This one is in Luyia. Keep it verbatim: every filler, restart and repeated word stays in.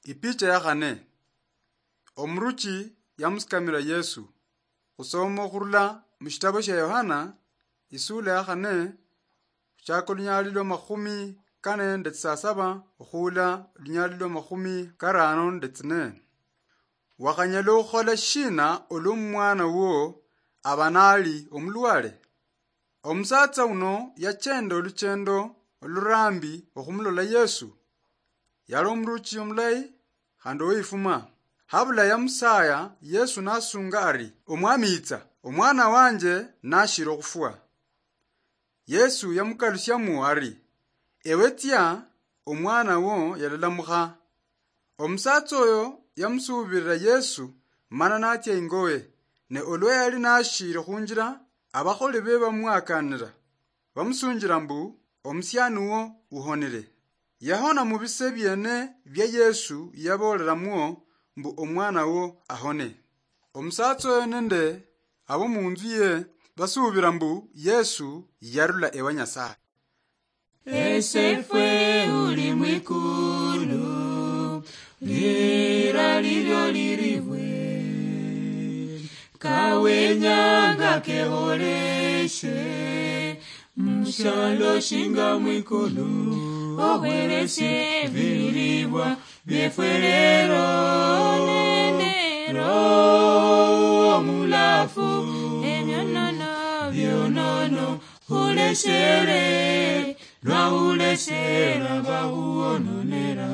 Ipicha ya khane. Omuruchi yamusikamira Yesu. Khusoma okhurula mushitabo shia Yohana, isula ya khane, khuchaka olunyali lwa makhumi kane nende tsisasaba okhuula olunyali lwa makhumi karano nende tsine. Wakhanyala okhukhola shina olwa omwana wo aba nali omulwale? Omusatsa uno yachenda oluchendo olurambi okhumulola Yesu. Yali omuruchi omulayi khandi owifuma. Habula yamusaya, Yesu nasunga ari, "Omwami, itsa, omwana wanje nashiri okhufwa." Yesu yamukalusiamo ari, "Ewe tsia, omwana wo yalalamukha." Omusatsa oyo yamusuubirira Yesu, mana natsia ingowe, ne olwa yali nashiiri khunjira, abakholi be bamwakanira, bamusunjira mbu, "Omusiani wo uhonire." Yahona mu bise biene bia Yesu yabooleramwo mbu omwana wo ahone. Omusatsa oyo nende abo munzu ye basuubira mbu Yesu yarula ewa Nyasaye. Esefwe uli mwikulu, lira lilyo liribwe, kawenyanga keholeshe, mushalo shinga mwikulu, ohwereshe ebilibwa byefwe lero, nende Roho Mulafu, ebyonono byonono, huleshere, lwa huleshera bahuononera.